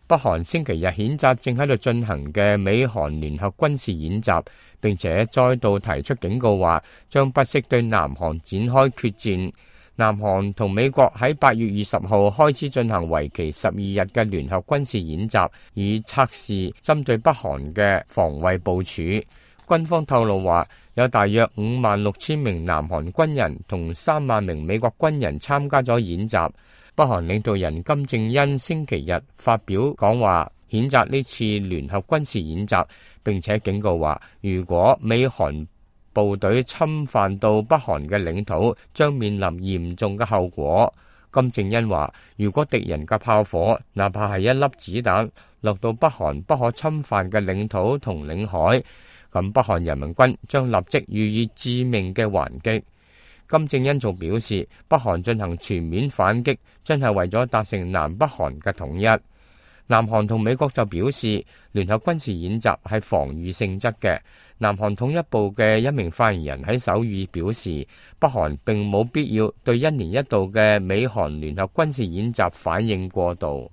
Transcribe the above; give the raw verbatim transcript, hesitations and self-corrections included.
北韓星期日譴責正喺度進行嘅美韓聯合軍事演習，並且再度提出警告話，將不惜對南韓展開決戰。南韓同美國喺八月二十號開始進行為期十二日嘅聯合軍事演習，以測試針對北韓嘅防衛部署。軍方透露話，有大約五萬六千名南韓軍人同三萬名美國軍人參加咗演習。北韓領導人金正恩星期日發表講話，譴責呢次聯合軍事演習，並且警告話，如果美韓部隊侵犯到北韓嘅領土，將面臨嚴重嘅後果。金正恩話，如果敵人嘅炮火，哪怕係一粒子彈，落到北韓不可侵犯嘅領土同領海，咁北韓人民軍將立即予以致命嘅還擊。金正恩仲表示，北韓進行全面反擊，真係為咗達成南北韓嘅統一。南韓同美國就表示，聯合軍事演習係防禦性質嘅。南韓統一部嘅一名發言人喺首爾表示，北韓並冇必要對一年一度嘅美韓聯合軍事演習反應過度。